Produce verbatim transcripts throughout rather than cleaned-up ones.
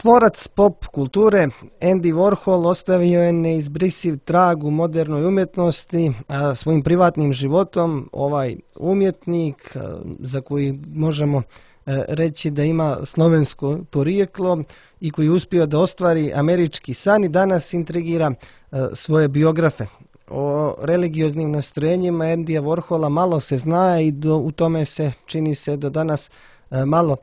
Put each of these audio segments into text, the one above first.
Tvorac pop kulture Andy Warhol ostavio je neizbrisiv trag u modernoj umjetnosti, a svojim privatnim životom ovaj umjetnik, za koji možemo reći da ima slovensko porijeklo i koji je uspio da ostvari američki san, i danas intrigira svoje biografe. O religioznim nastrojenjima Andyja Warhola malo se zna i do, u tome se čini se do danas malo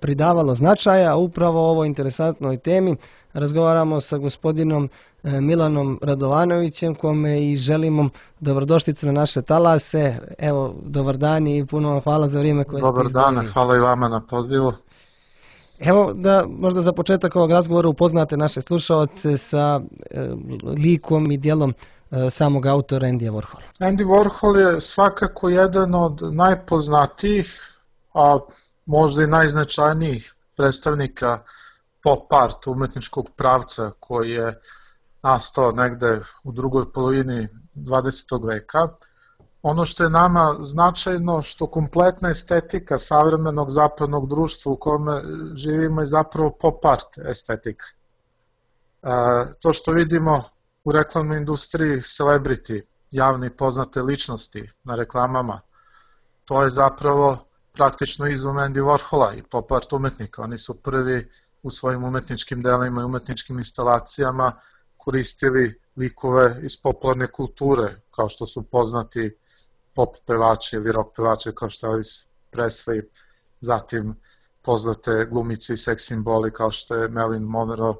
pridavalo značaja. Upravo o ovoj interesantnoj temi razgovaramo sa gospodinom Milanom Radovanovićem, kome i želimo dobrodošlicu na naše talase. Evo, dobar dan i puno vam hvala za vrijeme koje ste izdvojili. Dobar dan, hvala i vama na pozivu. Evo da možda za početak ovog razgovora upoznate naše slušaoce sa e, likom i djelom e, samog autora Andyja Warhola. Andy Warhol je svakako jedan od najpoznatijih, a možda i najznačajnijih predstavnika pop art umetničkog pravca koji je nastao negde u drugoj polovini dvadesetog veka. Ono što je nama značajno, što kompletna estetika savremenog zapadnog društva u kome živimo je zapravo pop art estetika. E, to što vidimo u reklamnoj industriji, celebrity, javne i poznate ličnosti na reklamama, to je zapravo praktično izum Andy Warhola i pop art umetnika. Oni su prvi u svojim umetničkim delima i umetničkim instalacijama koristili likove iz popularne kulture, kao što su poznati pop pevači ili rock pevači kao što je Elvis Presley, zatim poznate glumice i seks simboli kao što je Marilyn Monroe, uh,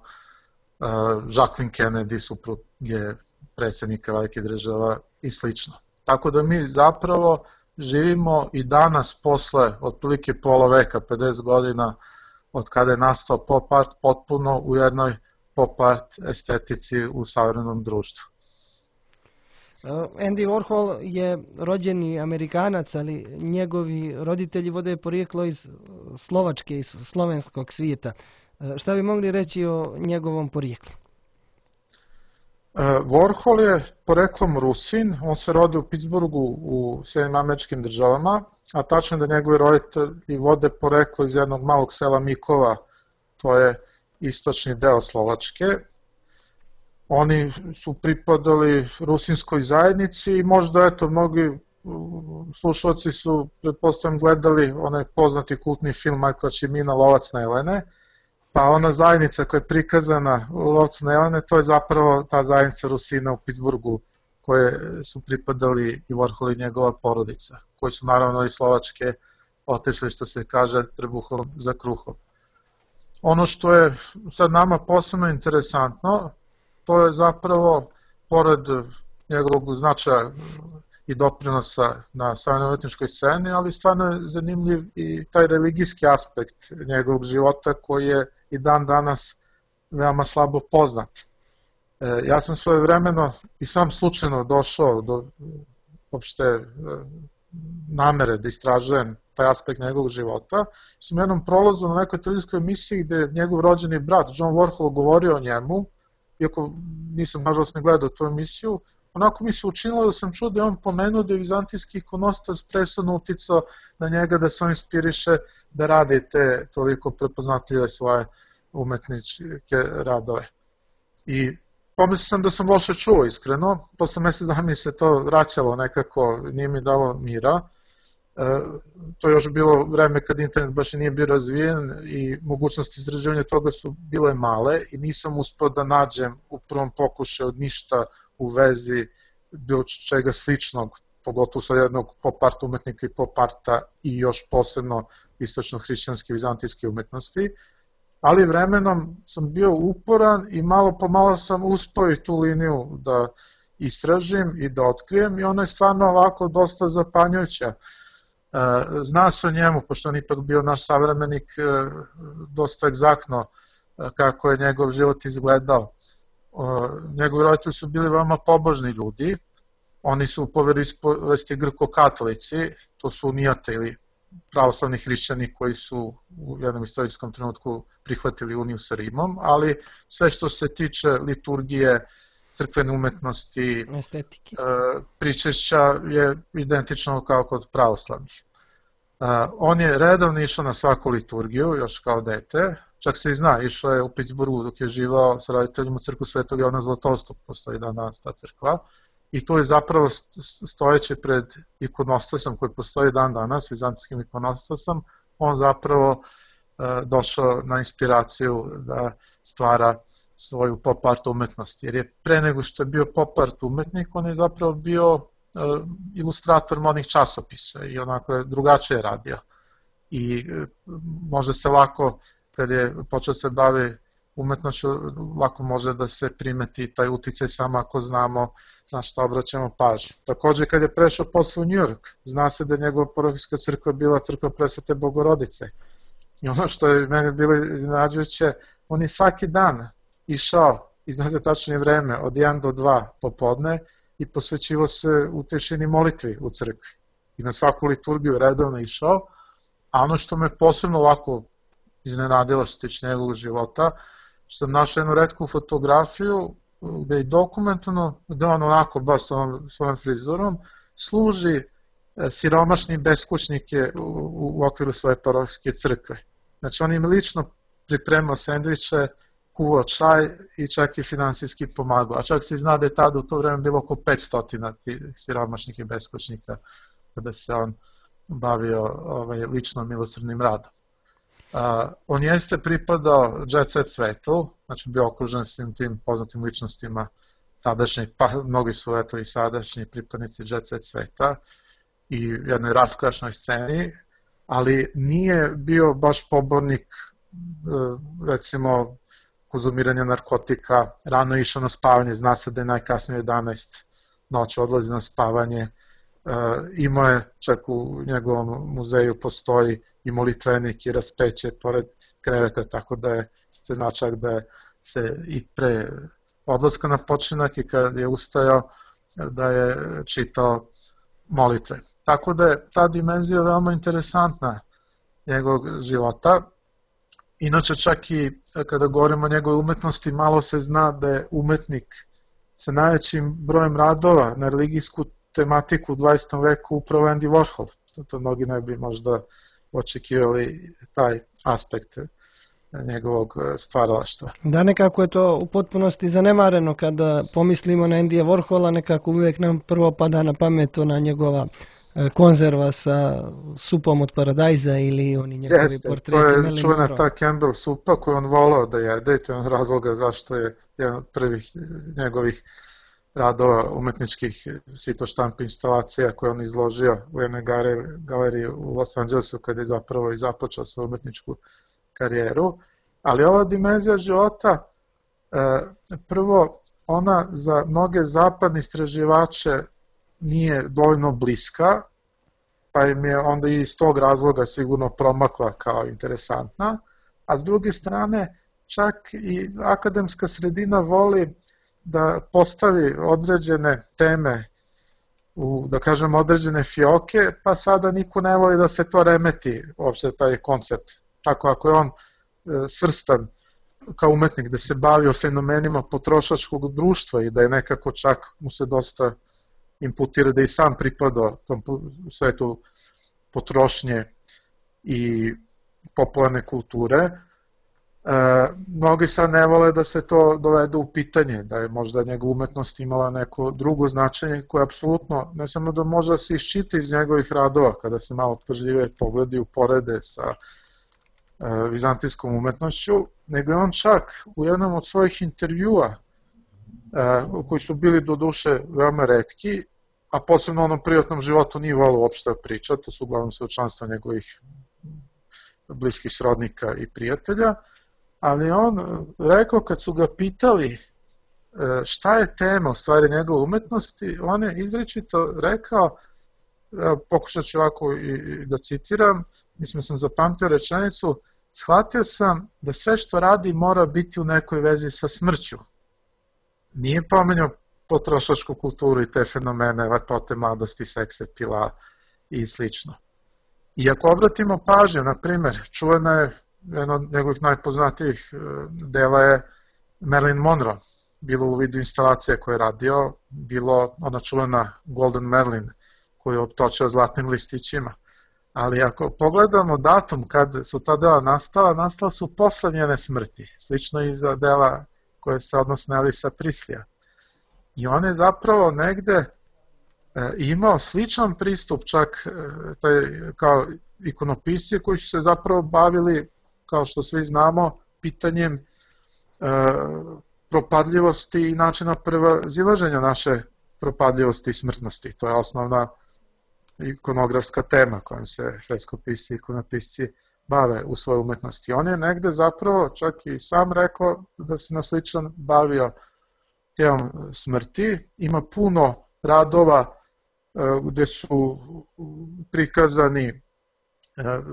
Jacqueline Kennedy, supruge predsjednika velikih država i slično. Tako da mi zapravo živimo i danas posle otprilike pola veka, pedeset godina od kada je nastao pop art, potpuno u jednoj pop art estetici u savremenom društvu. Andy Warhol je rođeni Amerikanac, ali njegovi roditelji vode porijeklo iz Slovačke, iz slovenskog svijeta. Šta bi mogli reći o njegovom porijeklu? Warhol je poreklom Rusin, on se rodio u Pittsburghu u Sjedinjenim Američkim Državama, a tačno da njegovi roditelji vode poreklo iz jednog malog sela Mikova, to je istočni deo Slovačke. Oni su pripadali rusinskoj zajednici i možda, eto, mnogi slušalci su, pretpostavljam, gledali onaj poznati kultni film Michaela Cimina Lovac na Jelene, pa ona zajednica koja je prikazana u Lovcu na Jelene, to je zapravo ta zajednica Rusina u Pittsburghu koje su pripadali i Warhol i njegova porodica, koji su naravno iz Slovačke otišli, što se kaže, trbuhom za kruhom. Ono što je sad nama posebno interesantno, to je zapravo, pored njegovog značaja i doprinosa na savremenoj umetničkoj sceni, ali stvarno je zanimljiv i taj religijski aspekt njegovog života koji je i dan danas veoma slabo poznat. E, ja sam svojevremeno i sam slučajno došao do opšte namere da istražujem taj aspekt njegovog života. Sam u jednom prolazu na nekoj televizijskoj emisiji gde je njegov rođeni brat John Warhol govorio o njemu, iako nisam nažalost ne gledao tu emisiju, onako mi se učinilo da sam čuo da je on pomenuo da je vizantijski ikonostas presudno uticao na njega da se on inspiriše da radi te toliko prepoznatljive svoje umetničke radove. I pomislio sam da sam loše čuo, iskreno, posle mesec dana mi se to vraćalo nekako, nije mi dalo mira. E, to je još bilo vreme kad internet baš nije bio razvijen i mogućnosti izražavanja toga su bile male i nisam uspeo da nađem u prvom pokušaju ništa u vezi bilo čega sličnog, pogotovo sa jednog pop art umetnika i pop arta i još posebno istočno-hrišćanske vizantijske umetnosti, ali vremenom sam bio uporan i malo po malo sam uspeo i tu liniju da istražim i da otkrijem i ona je stvarno ovako dosta zapanjujuća. Zna se o njemu, pošto on ipak bio naš savremenik, dosta egzaktno kako je njegov život izgledao. Njegovi roditelji su bili veoma pobožni ljudi, oni su u poveroispovesti grko-katolici, to su unijate ili pravoslavni hrišćani koji su u jednom istorijskom trenutku prihvatili uniju sa Rimom, ali sve što se tiče liturgije, crkvene umetnosti, estetike, pričešća je identično kao kod pravoslavnih. On je redovno išao na svaku liturgiju, još kao dete, čak se i zna, išao je u Pittsburghu dok je živao sa roditeljima u crkvu Svetog Jovana Zlatousta, postoji dan danas ta crkva, i tu je zapravo stojeći pred ikonostasom koji postoji dan danas, vizantijskim ikonostasom, on zapravo došao na inspiraciju da stvara svoju pop art umetnost, jer je pre nego što je bio pop art umetnik, on je zapravo bio ilustrator modnih časopisa i onako je drugačije radio. I može se lako, kad je počeo se bavi umetnošću, lako može da se primeti taj uticaj samo ako znamo na šta obraćamo pažnju. Takođe, kad je prešao posle u New York, zna se da je njegova parohijska crkva bila crkva Presvete Bogorodice. I ono što je meni bilo iznenađujuće, on je svaki dan išao, i znate tačnije vreme, od jedan do dva popodne i posvećivo se u tišini molitvi u crkvi. I na svaku liturgiju redovno išao, a ono što me posebno ovako iznenadilo što tiče njegovog života, što sam našao jednu retku fotografiju gde je dokumentovano da on onako, baš sa ovom svojom frizurom, služi siromašni beskućnike u, u okviru svoje parohijske crkve. Znači on im lično pripremao sendviče, kuvao čaj i čak i finansijski pomagao. A čak se zna da je tada u to vreme bilo oko petsto tih siromašnih i beskućnika kada se on bavio ovaj, lično milosrdnim radom. Uh, on jeste pripadao jet set svetu, znači bio okružen svim tim poznatim ličnostima tadašnjih, pa mnogi su eto i sadašnji pripadnici jet set sveta i jednoj rasklašnoj sceni, ali nije bio baš pobornik uh, recimo konzumiranja narkotika, rano je išao na spavanje, zna se da je najkasnije jedanaest noći odlazi na spavanje. Uh, imao je, čak u njegovom muzeju postoji i molitvenik i raspeće pored kreveta, tako da je se značak da je se i pre odlaska na počinak i kad je ustajao da je čitao molitve. Tako da je ta dimenzija veoma interesantna njegovog života. Inače čak i kada govorimo o njegove umetnosti, malo se zna da je umetnik sa najvećim brojem radova na religijsku tematiku u dvadesetom veku upravo Andy Warhol. To mnogi ne bi možda očekivali taj aspekt njegovog stvaralaštva. Da, nekako je to u potpunosti zanemareno kada pomislimo na Andyja Warhola, nekako uvijek nam prvo pada na pamet ona njegova konzerva sa supom od paradajza ili oni njegovi Jeste, portreti. to je čuvena ta Campbell supa koju on volao da jede i to je on razloga zašto je jedan od prvih njegovih radova umetničkih svitoštamp instalacija koje on izložio u jednoj galeriji u Los Angelesu kada je zapravo i započeo svoju umetničku karijeru. Ali ova dimenzija života, prvo, ona za mnoge zapadne istraživače nije dovoljno bliska, pa im je onda i iz tog razloga sigurno promakla kao interesantna, a s druge strane čak i akademska sredina voli da postavi određene teme u, da kažem, određene fioke, pa sada niko ne voli da se to remeti, uopšte taj koncept. Tako ako je on svrstan kao umetnik da se bavio fenomenima potrošačkog društva i da je nekako čak mu se dosta imputira da i sam pripadao tom svetu potrošnje i popularne kulture, e, mnogi sad ne vole da se to dovede u pitanje, da je možda njegova umetnost imala neko drugo značenje koje apsolutno, ne samo da može da se iščita iz njegovih radova, kada se malo pažljive pogledi uporede sa e, vizantijskom umetnošću, nego je on čak u jednom od svojih intervjua, e, koji su bili do duše veoma retki, a posebno u onom privatnom životu nije volio uopšte priča, to su uglavnom svedočanstva njegovih bliskih srodnika i prijatelja, ali on rekao kad su ga pitali šta je tema u stvari njegove umetnosti, on je izričito rekao, pokušat ću ovako i da citiram, mislim sam zapamtio rečenicu, shvatio sam da sve što radi mora biti u nekoj vezi sa smrću. Nije pomenjao potrošačku kulturu i te fenomene, lepote, mladosti, sekse, pila i slično. I ako obratimo pažnju, na primjer, čuvena je, jedno od njegovih najpoznatijih dela je Marilyn Monroe, bilo u vidu instalacije koje je radio, bilo ona čuvena Golden Marilyn koju je optočio zlatnim listićima. Ali ako pogledamo datum kad su ta dela nastala, nastala su posle njene smrti, slično i za dela koje se odnose na Elvisa Prislija. I on je zapravo negde e, imao sličan pristup čak e, taj, kao ikonopisci koji su se zapravo bavili, kao što svi znamo, pitanjem e, propadljivosti i načina prevazilaženja naše propadljivosti i smrtnosti. To je osnovna ikonografska tema kojom se freskopisci i ikonopisci bave u svojoj umetnosti. On je negde zapravo čak i sam rekao da se na sličan bavio temom smrti. Ima puno radova gde su prikazani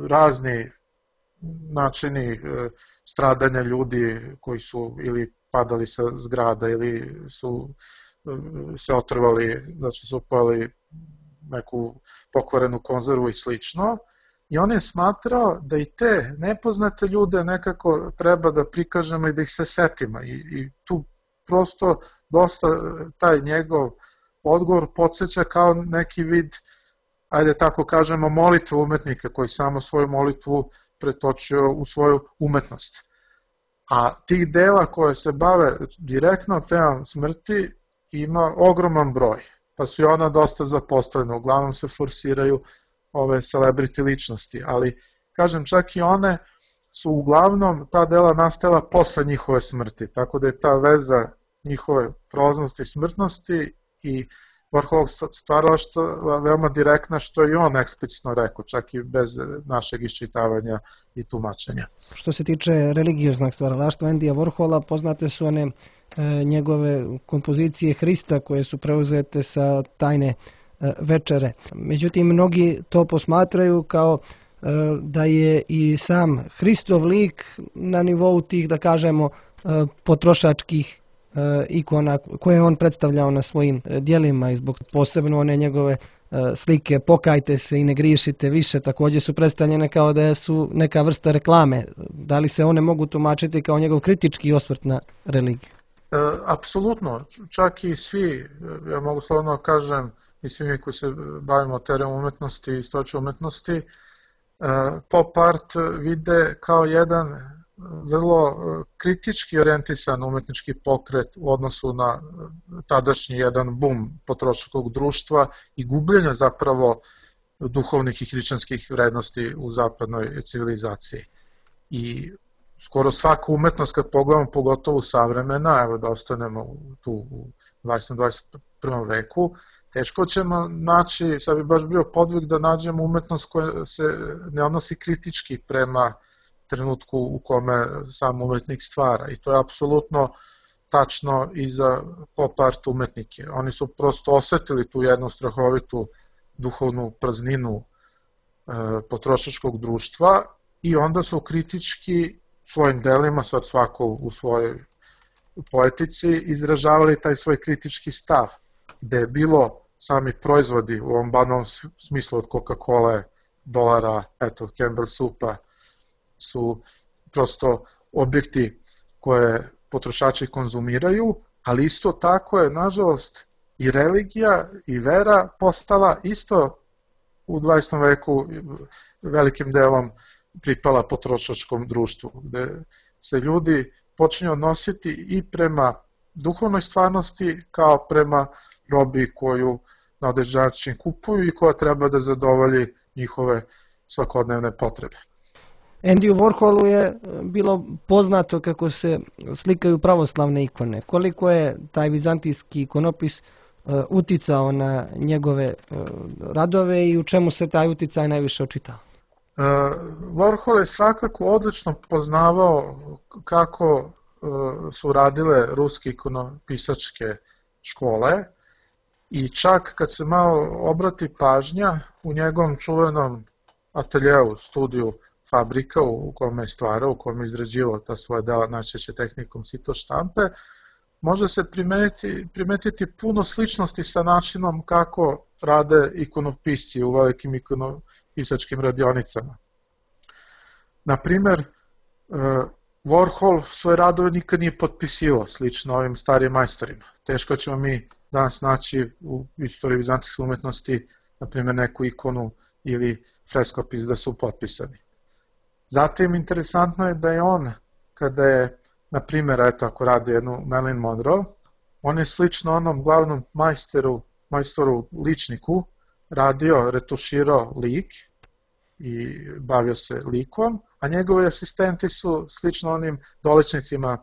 razni načini stradanja ljudi koji su ili padali sa zgrada ili su se otrvali, znači su pojeli neku pokvarenu konzervu i slično. I on je smatrao da i te nepoznate ljude nekako treba da prikažemo i da ih se setimo. I, i tu prosto dosta taj njegov odgovor podsjeća kao neki vid, ajde tako kažemo, molitve umetnika koji samo svoju molitvu pretočio u svoju umetnost. A tih dela koje se bave direktno temom smrti ima ogroman broj, pa su i ona dosta zapostavljena, uglavnom se forsiraju ove celebrity ličnosti, ali kažem čak i one su uglavnom ta dela nastala posle njihove smrti, tako da je ta veza njihove prolaznosti i smrtnosti i Warholovog stvaralaštva veoma direktna, što je on eksplicitno rekao, čak i bez našeg iščitavanja i tumačenja. Što se tiče religioznog stvaralaštva Endija Warhola, poznate su one e, njegove kompozicije Hrista koje su preuzete sa tajne e, večere. Međutim, mnogi to posmatraju kao e, da je i sam Hristov lik na nivou tih, da kažemo, e, potrošačkih ikona koje je on predstavljao na svojim djelima i zbog posebno one njegove slike pokajte se i ne griješite više također su predstavljene kao da su neka vrsta reklame. Da li se one mogu tumačiti kao njegov kritički osvrt na religiju? E, apsolutno, čak i svi, ja mogu slobodno kažem, i svi mi koji se bavimo teorijom umetnosti i istorijom umetnosti, e, pop art vide kao jedan vrlo kritički orijentisan umetnički pokret u odnosu na tadašnji jedan bum potrošačkog društva i gubljenja zapravo duhovnih i hrišćanskih vrednosti u zapadnoj civilizaciji. I skoro svaku umetnost kad pogledamo, pogotovo savremena, evo da ostanemo tu u dvadesetom i dvadeset prvom veku, teško ćemo naći, sad bi baš bio podvig da nađemo umetnost koja se ne odnosi kritički prema trenutku u kome sam umetnik stvara. I to je apsolutno tačno i za pop art umetnike. Oni su prosto osetili tu jednu strahovitu duhovnu prazninu e, potrošačkog društva i onda su kritički svojim delima, sad svako u svojoj poetici, izražavali taj svoj kritički stav, gde je bilo sami proizvodi u ovom banalnom smislu od Coca-Cola, dolara, eto, Campbell supa, su prosto objekti koje potrošači konzumiraju, ali isto tako je, nažalost, i religija i vera postala isto u dvadesetom veku velikim delom pripala potrošačkom društvu, gde se ljudi počinju odnositi i prema duhovnoj stvarnosti kao prema robi koju na određen način kupuju i koja treba da zadovolji njihove svakodnevne potrebe. Endiju Warholu je bilo poznato kako se slikaju pravoslavne ikone. Koliko je taj vizantijski ikonopis uticao na njegove radove i u čemu se taj uticaj najviše očitao? Warhol je svakako odlično poznavao kako su radile ruske ikonopisačke škole i čak kad se malo obrati pažnja u njegovom čuvenom ateljeu, studiju Fabrika u kome je stvarao, u kome je izrađivao ta svoja dela najčešće tehnikom sito štampe, može se primetiti, primetiti puno sličnosti sa načinom kako rade ikonopisci u velikim ikonopisačkim radionicama. Naprimer, Warhol svoje radove nikad nije potpisivao, slično ovim starijim majstorima. Teško ćemo mi danas naći u istoriji vizantijske umetnosti, naprimer, neku ikonu ili freskopis da su potpisani. Zatim, interesantno je da je on, kada je, na primjer, eto, ako radi jednu Marilyn Monroe, on je slično onom glavnom majsteru, majstoru ličniku radio, retuširao lik i bavio se likom, a njegovi asistenti su slično onim doličnicima,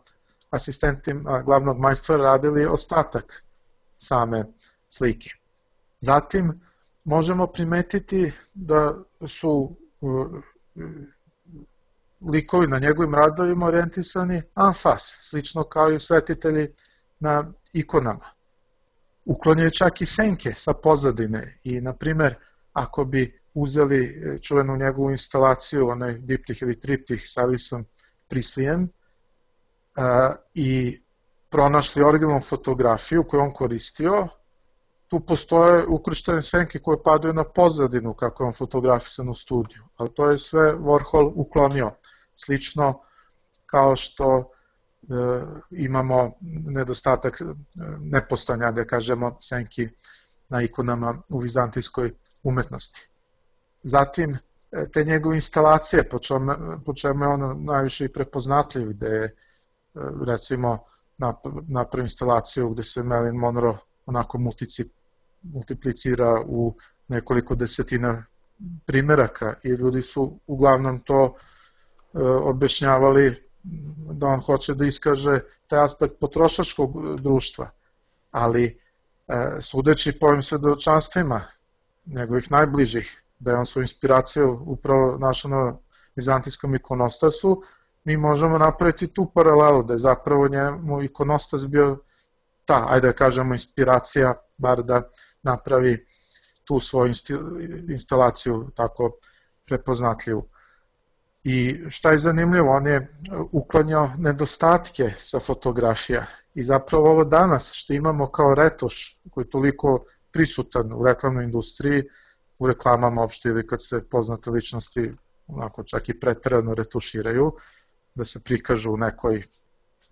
asistentima glavnog majstora radili ostatak same slike. Zatim, možemo primetiti da su likovi na njegovim radovima orijentisani anfas, slično kao i svetitelji na ikonama. Uklonio čak i senke sa pozadine i, na primer, ako bi uzeli čuvenu njegovu instalaciju, onaj diptih ili triptih sa Elvisom Preslejem, i pronašli originalnu fotografiju koju on koristio, tu postoje ukrštene senke koje padaju na pozadinu kako je on fotografisan u studiju, ali to je sve Warhol uklonio. Slično kao što e, imamo nedostatak nepostojanja, da kažemo, senki na ikonama u vizantijskoj umetnosti. Zatim, te njegove instalacije, po čemu, po čemu je on najviše i prepoznatljiv, gde je, recimo, napravi instalaciju gde se Marilyn Monroe onako multiplicira u nekoliko desetina primeraka i ljudi su uglavnom to e, objašnjavali da on hoće da iskaže taj aspekt potrošačkog društva, ali e, sudeći po ovim svedočanstvima njegovih najbližih, da je on svoju inspiraciju upravo našao na vizantijskom ikonostasu, mi možemo napraviti tu paralelu, da je zapravo njemu ikonostas bio ta, ajde da kažemo, inspiracija, bar da napravi tu svoju instalaciju tako prepoznatljivu. I šta je zanimljivo, on je uklanjao nedostatke sa fotografija i zapravo ovo danas što imamo kao retuš koji je toliko prisutan u reklamnoj industriji, u reklamama opšte ili kad se poznate ličnosti onako čak i preterano retuširaju, da se prikažu u nekoj,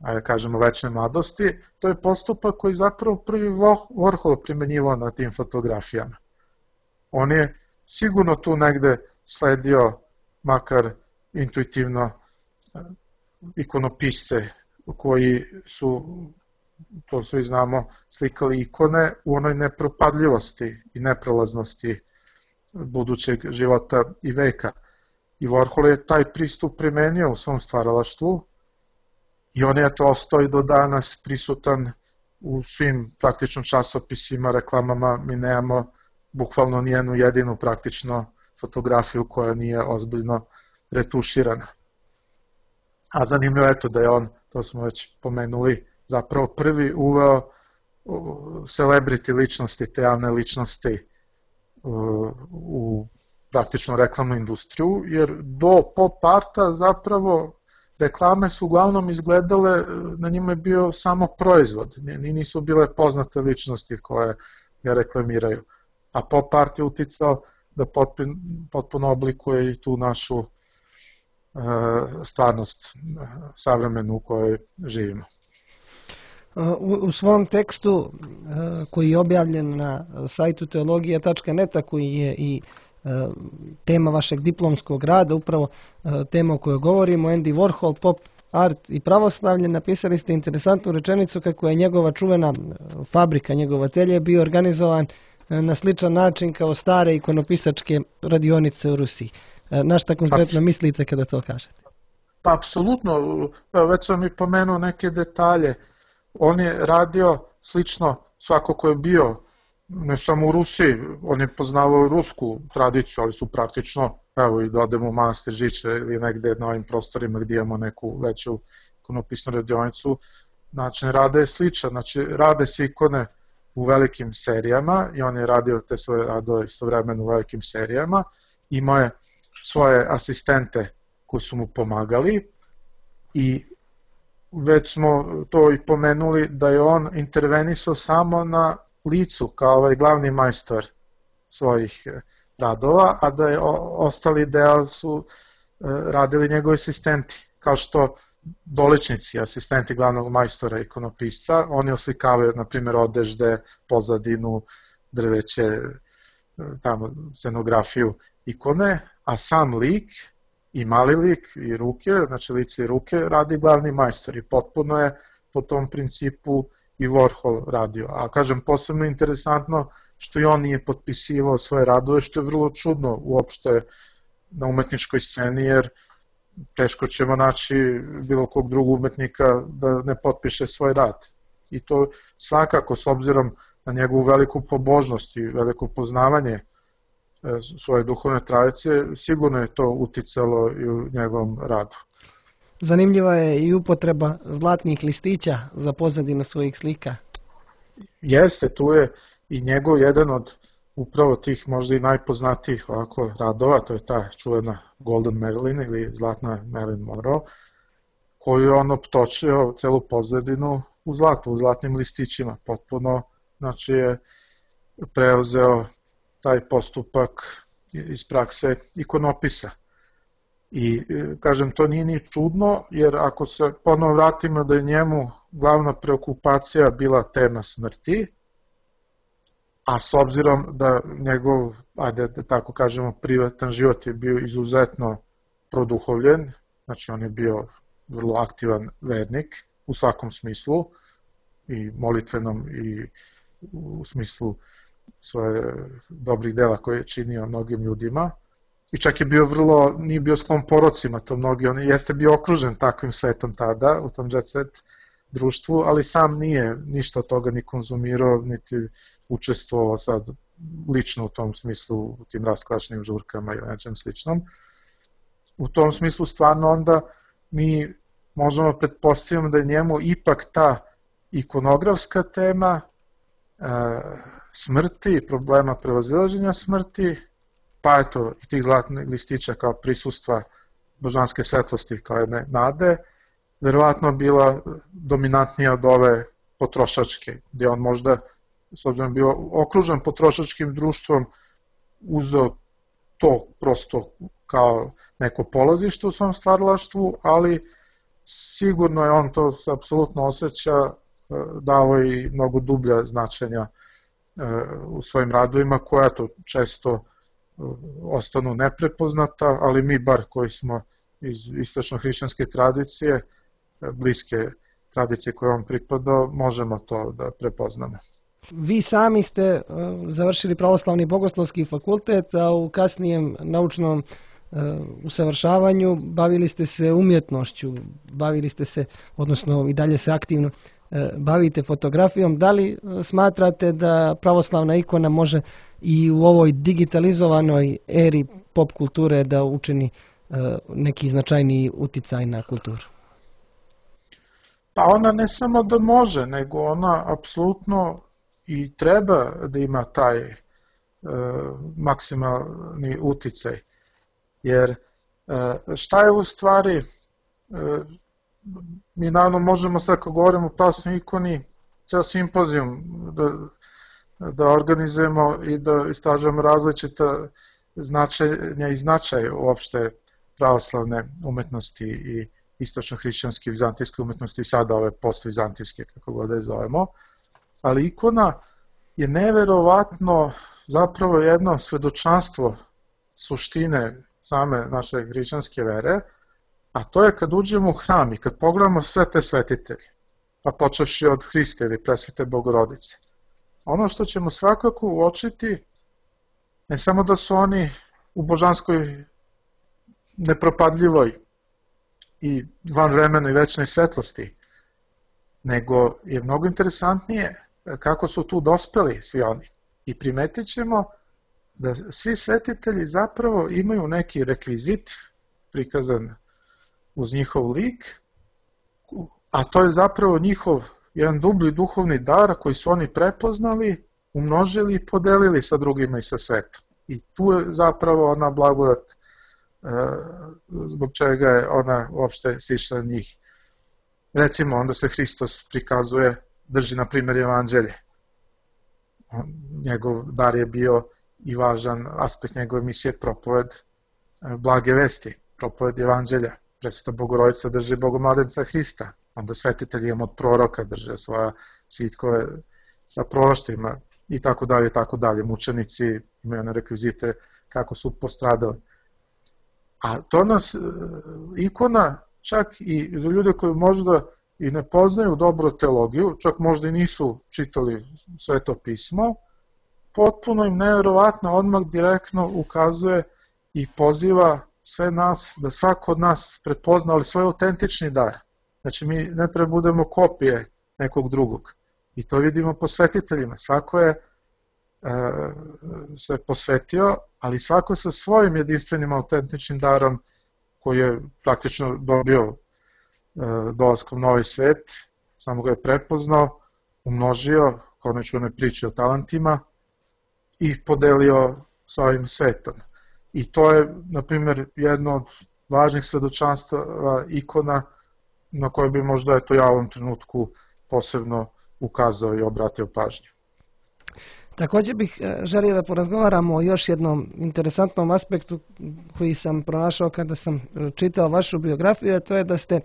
ajde kažemo, većoj mladosti, to je postupak koji zapravo prvi Warhol primenjivao na tim fotografijama. On je sigurno tu negde sledio, makar intuitivno, ikonopisce koji su, to svi znamo, slikali ikone u onoj nepropadljivosti i neprolaznosti budućeg života i veka. I Warhol je taj pristup primenio u svom stvaralaštvu i on je to ostao i do danas prisutan u svim praktično časopisima, reklamama. Mi nemamo bukvalno nijednu jedinu praktično fotografiju koja nije ozbiljno retuširana. A zanimljivo je to da je on, to smo već pomenuli, zapravo prvi uveo celebrity ličnosti, te javne ličnosti u praktično reklamnu industriju, jer do pop arta zapravo reklame su uglavnom izgledale, na njima je bio samo proizvod, nisu bile poznate ličnosti koje ga reklamiraju. A pop art je uticao da potpuno oblikuje i tu našu stvarnost savremenu u kojoj živimo. U svom tekstu koji je objavljen na sajtu teologija tačka net, koji je i tema vašeg diplomskog rada, upravo tema o kojoj govorimo, Andy Warhol, pop art i pravoslavlje, napisali ste interesantnu rečenicu kako je njegova čuvena fabrika, njegov atelje bio organizovan na sličan način kao stare ikonopisačke radionice u Rusiji. Na šta konkretno mislite kada to kažete? Pa, apsolutno, već sam i pomenuo neke detalje. On je radio slično, svako ko je bio, ne samo u Rusiji, on je poznavao rusku tradiciju, ali su praktično, evo i da odemo u manastir Žiče ili negde na ovim prostorima gdje imamo neku veću ikonopisnu radionicu, način rada je sličan, znači rade se ikone u velikim serijama i on je radio te svoje radove istovremeno u velikim serijama, imao je svoje asistente koji su mu pomagali i već smo to i pomenuli da je on intervenisao samo na licu kao ovaj glavni majstor svojih radova, a da je ostali deo su radili njegovi asistenti, kao što doličnici, asistenti glavnog majstora ikonopisca, oni oslikavaju, na primjer, odežde, pozadinu, drveće, tamo, scenografiju ikone, a sam lik i mali lik i ruke, znači lice i ruke, radi glavni majstor i potpuno je po tom principu i Warhol radio. A kažem, posebno interesantno što i on nije potpisivao svoje radove, što je vrlo čudno uopšte na umetničkoj sceni, jer teško ćemo naći bilo kog drugog umetnika da ne potpiše svoj rad. I to svakako, s obzirom na njegovu veliku pobožnost i veliko poznavanje svoje duhovne tradicije, sigurno je to uticalo i u njegovom radu. Zanimljiva je i upotreba zlatnih listića za pozadinu svojih slika. Jeste, tu je i njegov jedan od upravo tih možda i najpoznatijih ovako radova, to je ta čuvena Golden Marilyn ili zlatna Marilyn Monroe, koju je on optočio celu pozadinu u zlatu, u zlatnim listićima. Potpuno, znači je preuzeo taj postupak iz prakse ikonopisa. I, kažem, to nije ni čudno, jer ako se ponovo vratimo da je njemu glavna preokupacija bila tema smrti, a s obzirom da njegov, ajde da tako kažemo, privatan život je bio izuzetno produhovljen, znači on je bio vrlo aktivan vernik u svakom smislu, i molitvenom i u smislu svoje dobrih dela koje je činio mnogim ljudima, i čak je bio vrlo, nije bio sklon porocima, to mnogi, on jeste bio okružen takvim svetom tada, u tom jet set društvu, ali sam nije ništa od toga ni konzumirao, niti učestvovao sad lično u tom smislu, u tim rasklašnim žurkama i nečem sličnom. U tom smislu stvarno onda mi možemo pretpostaviti da je njemu ipak ta ikonografska tema e, smrti, problema prevazilaženja smrti, pa eto i tih zlatnih listića kao prisustva božanske svetlosti kao jedne nade, verovatno bila dominantnija od ove potrošačke, gdje on možda, s obzirom bio okružen potrošačkim društvom, uzeo to prosto kao neko polazište u svom stvaralaštvu, ali sigurno je on to apsolutno osjeća, dao i mnogo dublja značenja u svojim radovima, koja to često ostanu neprepoznata, ali mi bar koji smo iz istočno-hrišćanske tradicije, bliske tradicije koje on pripadao, možemo to da prepoznamo. Vi sami ste završili pravoslavni bogoslovski fakultet, a u kasnijem naučnom usavršavanju bavili ste se umjetnošću, bavili ste se, odnosno i dalje se aktivno bavite fotografijom. Da li smatrate da pravoslavna ikona može i u ovoj digitalizovanoj eri pop kulture da učini neki značajniji uticaj na kulturu? Pa ona ne samo da može, nego ona apsolutno i treba da ima taj e, maksimalni uticaj. Jer e, šta je u stvari, e, mi naravno možemo sad kad govorimo o pravoslavnoj ikoni, ceo simpozijum da, da organizujemo i da istražujemo različita značenja i značaj uopšte pravoslavne umetnosti i istočno-hrišćanske vizantijske umetnosti i sada ove post-vizantijske, kako god da je zovemo. Ali ikona je neverovatno zapravo jedno svedočanstvo suštine same naše hrišćanske vere, a to je kad uđemo u hram i kad pogledamo sve te svetitelje, pa počevši od Hrista ili Presvete Bogorodice. Ono što ćemo svakako uočiti, ne samo da su oni u božanskoj nepropadljivoj i vanvremenoj večnoj svetlosti, nego je mnogo interesantnije kako su tu dospeli svi oni. I primetit ćemo da svi svetitelji zapravo imaju neki rekvizit prikazan uz njihov lik, a to je zapravo njihov jedan dublji duhovni dar koji su oni prepoznali, umnožili i podelili sa drugima i sa svetom. I tu je zapravo ona blagodat zbog čega je ona uopšte sišla na njih. Recimo, onda se Hristos prikazuje, drži na primjer evanđelje. Njegov dar je bio i važan aspekt njegove misije propoved blage vesti, propoved evanđelja. Presveta Bogorodica drži Bogomladenca Hrista, onda svetitelji od proroka drže svoja svitkove sa proroštvima i tako dalje, tako dalje. Mučenici imaju one rekvizite kako su postradali. A to nas, ikona, čak i za ljude koji možda i ne poznaju dobro teologiju, čak možda i nisu čitali Sveto pismo, potpuno im nevjerovatno odmah direktno ukazuje i poziva sve nas, da svako od nas prepozna, ali svoj autentični dar. Znači mi ne treba budemo kopije nekog drugog. I to vidimo po svetiteljima. Svako je e, se posvetio, ali svako sa svojim jedinstvenim autentičnim darom koji je praktično dobio e, dolaskom u novi svet, samo ga je prepoznao, umnožio, kao nečune priče o talentima, i podelio sa ovim svetom. I to je, na primjer, jedno od važnih svedočanstava ikona na koje bi možda eto, ja u ovom trenutku posebno ukazao i obratio pažnju. Također bih želio da porazgovaramo o još jednom interesantnom aspektu koji sam pronašao kada sam čitao vašu biografiju, a to je da ste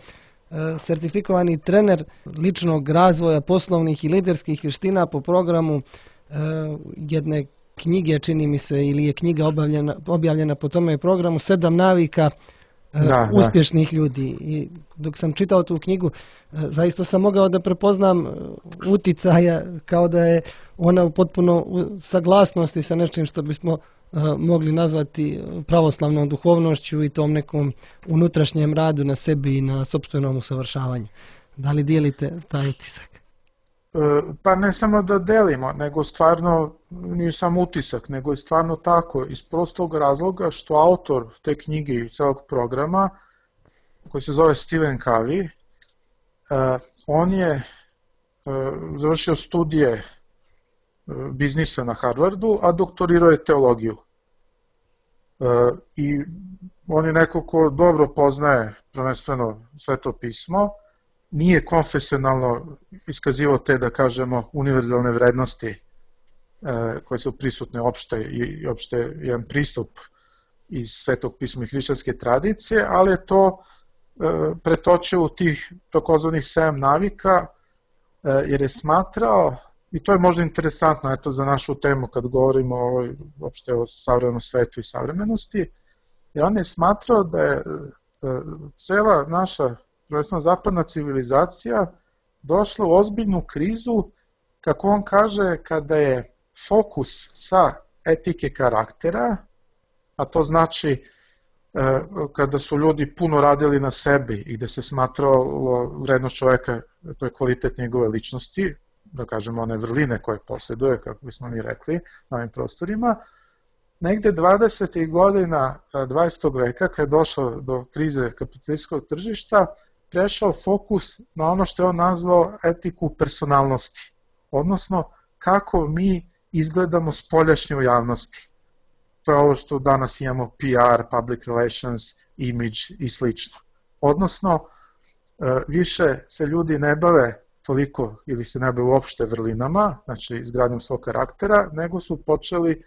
sertifikovani trener ličnog razvoja, poslovnih i liderskih vještina po programu jedne knjige, čini mi se, ili je knjiga objavljena, objavljena po tome programu, Sedam navika da, uspješnih da. ljudi. I dok sam čitao tu knjigu, zaista sam mogao da prepoznam uticaja kao da je ona u potpuno saglasnosti sa nečim što bismo mogli nazvati pravoslavnom duhovnošću i tom nekom unutrašnjem radu na sebi i na sopstvenom usavršavanju. Da li dijelite taj utisak? Pa ne samo da delimo, nego stvarno nije samo utisak, nego je stvarno tako, iz prostog razloga što autor te knjige i celog programa, koji se zove Stephen Covey, on je završio studije biznisa na Harvardu, a doktorirao je teologiju. I on je neko ko dobro poznaje prvenstveno Sveto pismo, nije konfesionalno iskazivao te, da kažemo, univerzalne vrednosti e, koje su prisutne opšte i opšte jedan pristup iz Svetog pisma i hrišćanske tradicije, ali je to e, pretočio u tih takozvanih sedam navika, e, jer je smatrao, i to je možda interesantno eto, za našu temu kad govorimo o, opšte o savremenom svetu i savremenosti, jer on je smatrao da je e, cela naša prvenstveno zapadna civilizacija došla u ozbiljnu krizu, kako on kaže, kada je fokus sa etike karaktera, a to znači kada su ljudi puno radili na sebi i gde se smatralo vrednost čoveka, to je kvalitet njegove ličnosti, da kažemo one vrline koje posjeduje, kako bismo mi rekli, na ovim prostorima, negde dvadesetih godina dvadesetog veka, kada je došlo do krize kapitalističkog tržišta, prešao fokus na ono što je on nazvao etiku personalnosti, odnosno kako mi izgledamo spoljašnje u javnosti. To je ovo što danas imamo P R, public relations, image i slično. Odnosno, više se ljudi ne bave toliko ili se ne bave uopšte vrlinama, znači izgradnjom svog karaktera, nego su počeli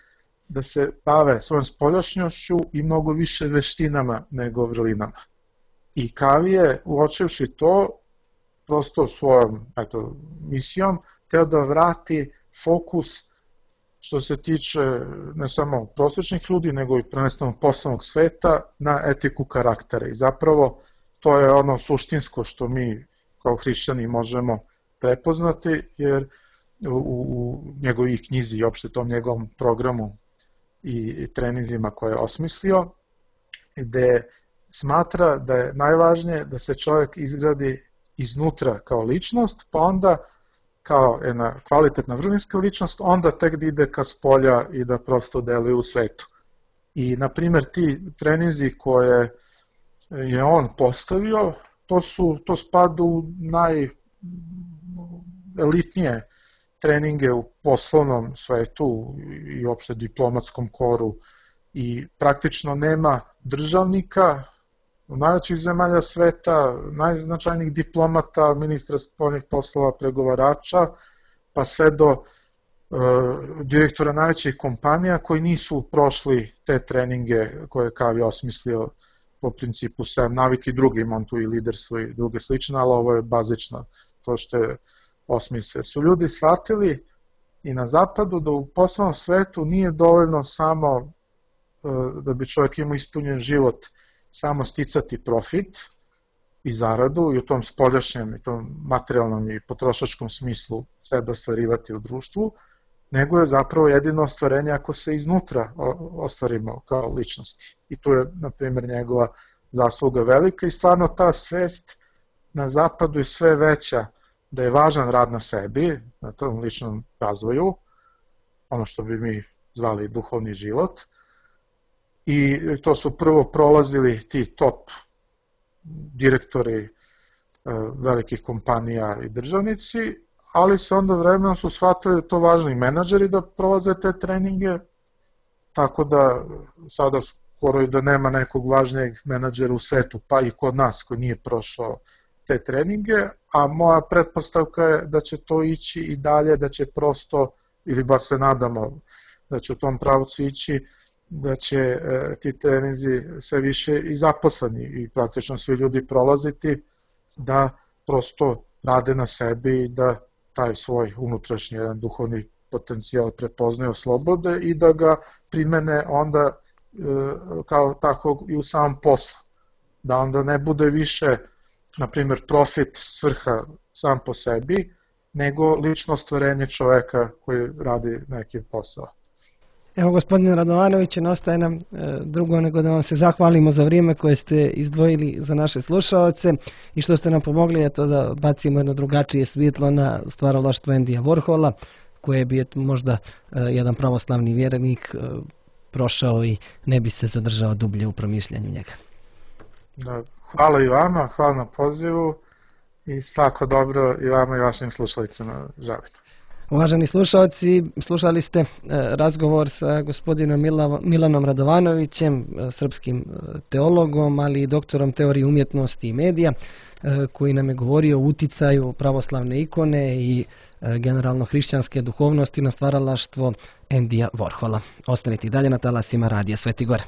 da se bave svojom spoljašnjošću i mnogo više veštinama nego vrlinama. I Covey je, uočivši to, prosto svojom eto, misijom, teo da vrati fokus što se tiče ne samo prosječnih ljudi, nego i prvenstveno poslovnog sveta na etiku karaktera. I zapravo to je ono suštinsko što mi kao hrišćani možemo prepoznati, jer u, u njegovih knjizi i opšte tom njegovom programu i treninzima koje je osmislio, gde smatra da je najvažnije da se čovjek izgradi iznutra kao ličnost, pa onda kao jedna kvalitetna vrlinska ličnost, onda tek da ide ka spolja i da prosto deluje u svetu. I, na primjer, ti treninzi koje je on postavio, to, su, to spada u najelitnije treninge u poslovnom svetu i uopšte diplomatskom koru i praktično nema državnika u najvećih zemalja sveta, najznačajnijih diplomata, ministra spoljnih poslova, pregovarača, pa sve do e, direktora najvećih kompanija koji nisu prošli te treninge koje je Covey osmislio po principu sedam navika i drugi, imam tu i liderstvo i druge slične, ali ovo je bazično to što je osmislio. Su ljudi shvatili i na zapadu da u poslovnom svetu nije dovoljno samo da bi čovjek imao ispunjen život samo sticati profit i zaradu i u tom spoljašnjem i tom materijalnom i potrošačkom smislu sebe ostvarivati u društvu, nego je zapravo jedino ostvarenje ako se iznutra ostvarimo kao ličnosti. I tu je, na primjer, njegova zasluga velika i stvarno ta svest na zapadu je sve veća da je važan rad na sebi, na tom ličnom razvoju, ono što bi mi zvali duhovni život, i to su prvo prolazili ti top direktori velikih kompanija i državnici, ali se onda vremenom su shvatili da je to važno i menadžeri da prolaze te treninge, tako da sada skoro i da nema nekog važnijeg menadžera u svetu, pa i kod nas koji nije prošao te treninge, a moja pretpostavka je da će to ići i dalje, da će prosto, ili bar se nadamo da će u tom pravcu ići, da će e, ti treninzi sve više i zaposleni i praktično svi ljudi prolaziti, da prosto rade na sebi i da taj svoj unutrašnji jedan duhovni potencijal prepoznaju, oslobode i da ga primene onda e, kao takvog i u samom poslu. Da onda ne bude više, na primjer, profit svrha sam po sebi, nego lično stvorenje čoveka koji radi neki posao. Evo, gospodine Radovanoviću, ne ostaje nam e, drugo nego da vam se zahvalimo za vrijeme koje ste izdvojili za naše slušaoce i što ste nam pomogli eto, da bacimo jedno drugačije svjetlo na stvaralaštvo Endija Warhola, koje bi eto, možda e, jedan pravoslavni vjernik e, prošao i ne bi se zadržao dublje u promišljanju njega. Da, hvala i vama, hvala na pozivu i svako dobro i vama i vašim slušalicama želim. Uvaženi slušalci, slušali ste razgovor sa gospodinom Milanom Radovanovićem, srpskim teologom, ali i doktorom teorije umjetnosti i medija, koji nam je govorio o uticaju pravoslavne ikone i generalno hrišćanske duhovnosti na stvaralaštvo Endija Warhola. Ostanite i dalje na talasima Radija Sveti Gore.